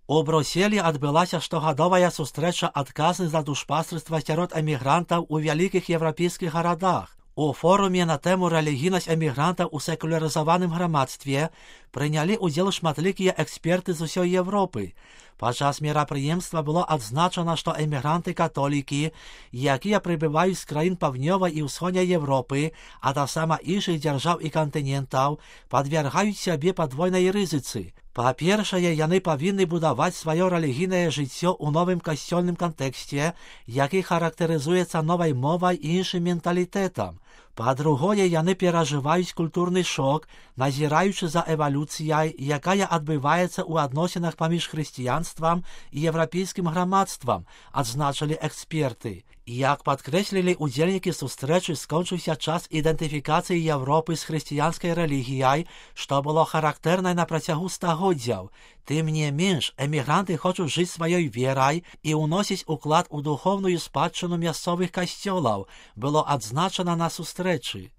У Брюсселі адбылася штогадовая сустрэча адказных за душпастерства сярод эмігрантаў у вялікіх еўрапейскіх гарадах. У форуме на тэму рэлігійнасць эмігрантаў у секулярызаваным грамадстве прынялі ўдзел шматлікія эксперты з усёй Европы. Падчас мерапрыемства было адзначана, што эмігранты-католікі, якія прыбываюць з краін паўднёвай і ўсходняй Европы, а таксама іншых дзяржаў і кантынентаў, падвяргаюць сябе падвойнай рызыцы. Па-першае, яны павінны будаваць сваё рэлігійнае жыццё ў новым касцёльным кантэксце, які характарызуецца новай мовай і іншым менталітэтам. Па-другое, яны перажываюць культурны шок, назіраючы за эвалюцыяй, якая адбываецца ў адносінах паміж хрысціянствам і еўрапейскім грамадствам, адзначылі эксперты. Як падкрэслілі удзельнікі сустрэчы, скончыўся час ідэнтыфікацыі Европы з хрысціянскай рэлігіяй, што было характэрнай на працягу стагоддзяў. Тым не менш, эмігранты хочуць жыць сваёй верай і ўносіць уклад у духоўную спадчыну мясцовых касцёлаў, было адзначана на сустрэчы.